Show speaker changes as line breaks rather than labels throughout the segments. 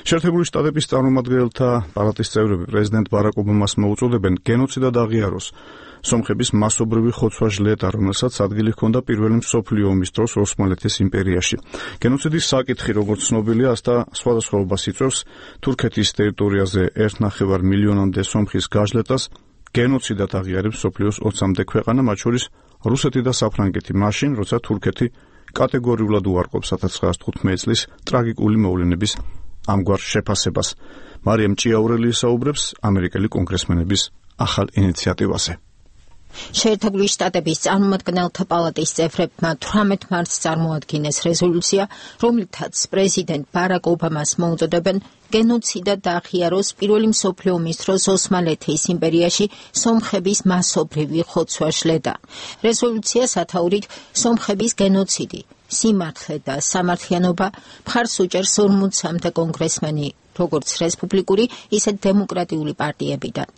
შეერთებული შტატების წარმომადგენელთა პალატის წევრები პრეზიდენტ ბარაკ ობამას მოუწოდებენ გენოციდად აღიაროს სომხების მასობრივი ხოცვა-ჟლეტა, რომელსაც ადგილი ჰქონდა პირველი მსოფლიო ომის დროს ოსმალეთის იმპერიაში. გენოციდის საკითხი, როგორც ცნობილია, ასთა სხვადასხვაობას იწვევს თურქეთის ტერიტორიაზე 1,5 მილიონამდე სომხის გაჟლეტას. გენოციდად აღიარებს მსოფლიოს 20-მდე ქვეყანა, მათ შორის რუსეთი და საფრანგეთი, მაშინ, როცა თურქეთი კატეგორიულად უარყოფს 1915 წლის ტრაგიკული მოვლენების ამგვარ შეფასებას. მარიამ ჭიაურელი ისაუბრებს ამერიკელი კონგრესმენების ახალ ინიციატივაზე.
შეერთებული შტატების წარმომადგენელთა პალატის წევრებმა 18 მარტს წარმოადგინეს რეზოლუცია, რომლითაც პრეზიდენტ ბარაკ ობამას მოუწოდებენ გენოციდად აღიაროს პირველი მსოფლიო ომის დროს ოსმალეთის იმპერიაში სომხების მასობრივი ხოცვა-ჟლეტა. რეზოლუცია სათაურით სომხების გენოციდი, სიმართლე და სამართლიანობა მხარს უჭერს 40-მდე კონგრესმენი, როგორც რესპუბლიკური, ისე დემოკრატიული პარტიებიდან.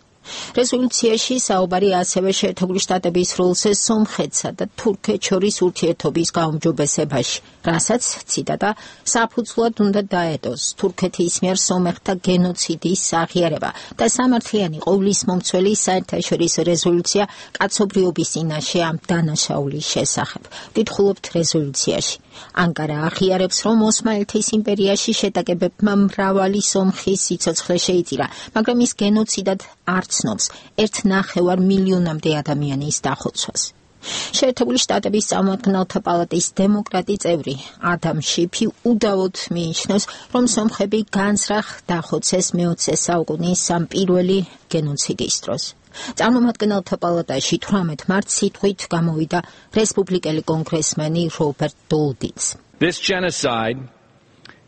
რეზოლუციაში საუბარი ასევე შეერთებული შტატების როლზე სომხეთსა და თურქეთს შორის ურთიერთობის გაუმჯობესებაში, რასაც, ციტატა, საფუძვლად უნდა დაედოს თურქეთის მიერ სომეხთა გენოციდის აღიარება და სამართლიანი ყოვლისმომცველი საერთაშორისო რეზოლუცია კაცობრიობის წინაშე ამ დანაშაულის შესახებ. ვკითხულობთ რეზოლუციაში. ანკარა აღიარებს, რომ ოსმალეთის იმპერიაში შეტაკებებმა მრავალი სომხის სიცოცხლე შეიწირა, მაგრამ ის გენოციდად არ ცნობს 1,5 მილიონამდე ადამიანის დახოცვას. შეერთებული შტატების წარმომადგენელთა პალატის დემოკრატი წევრი ადამ შიფი უდავოდ მიიჩნევს, რომ სომხები განზრახ დახოცეს მე-20 საუკუნის ამ პირველი გენოციდის დროს. წარმომადგენელთა პალატაში 18 მარტს სიტყვით გამოვიდა რესპუბლიკელი კონგრესმენი რობერტ დოლდინს.
This genocide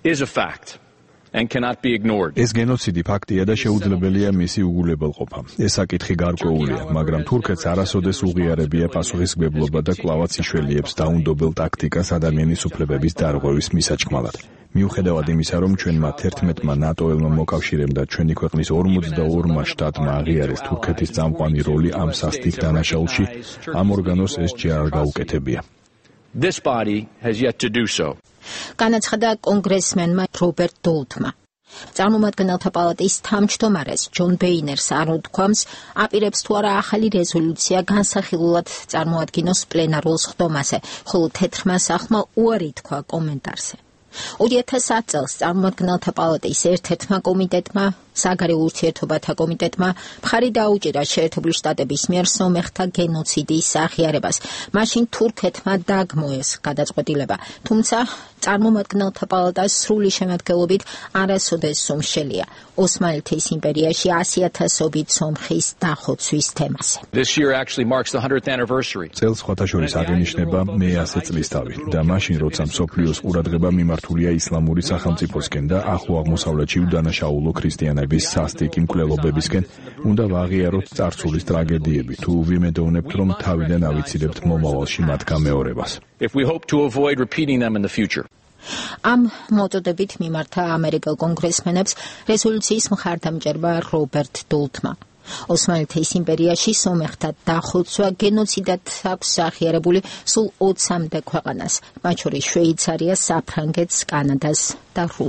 is a fact and cannot be ignored.
ეს გენოციდი ფაქტია და შეუძლებელია მისი უგულებელყოფა. ეს საკითხი გარკვეულია, მაგრამ თურქეთს არასოდეს უღიარებია პასუხისმგებლობა და კვლავაც იშველიებს დაუნდობელ ტაქტიკას ადამიანის უფლებების დარღვევის მისაჭმელად. მიუხედავად იმისა, რომ ჩვენმა 11-მა ნატოელმა მოკავშირემ და ჩვენი ქვეყნის 42-მა შტატმა აღიარეს თურქეთის წამყვანი როლი ამ სასტიკ დანაშაულში, ამ ორგანოს ეს ჯერ არ გაუკეთებია.
This body has yet to do so.
განაცხადა კონგრესმენმა რობერტ დოლდმა. წარმომადგენელთა პალატის თავმჯდომარეს ჯონ ბეინერს არ უთქვამს, აპირებს თუ არა ახალი რეზოლუცია განსახილულად წარმოადგინოს პლენარულ სხდომაზე, ხოლო თეთრმა სახლმა უარი თქვა კომენტარზე. 2010 წელს წარმომადგენელთა პალატის ერთ-ერთმა კომიტეტმა, საგარეო ურთიერთობათა კომიტეტმა, მხარი დაუჭირა შეერთებული შტატების მიერ სომეხთა გენოციდის აღიარებას. მაშინ თურქეთმა დაგმოეს გადაწყვეტილება, თუმცა წარმომადგენელთა პალატას სრული შემადგენლობით არასოდეს სუმშელია ოსმალეთის იმპერიაში 100,000-ობით სომხის დახოცვის თემაზე.
This year actually marks the 100th anniversary.
წელს სხვათაშორის აღინიშნება მე-100 წლისთავი და მაშინ, როცა მსოფლიოს ყურადღება მიმართულია ისლამური სახელმწიფოსკენ და ახლო აღმოსავლეთში უდანაშაულო ქრისტიანების სასტიკი მკვლელობებისკენ, უნდა ვაღიაროთ წარსულის ტრაგედიები, თუ ვიმედოვნებთ, რომ თავიდან ავიცირებთ მომავალში მათ გამეორებას.
If we hope to avoid repeating them in the future.
ამ მოწოდებით მიმართა ამერიკელ კონგრესმენებს რეზოლუციის მხარდამჭერმა რობერტ დოლდმა. ოსმალეთის იმპერიაში სომეხთა დახოცვა გენოციდად აქვს აღიარებული სულ 20-მდე ქვეყანას, მათ შორის შვეიცარიას, საფრანგეთს, კანადას და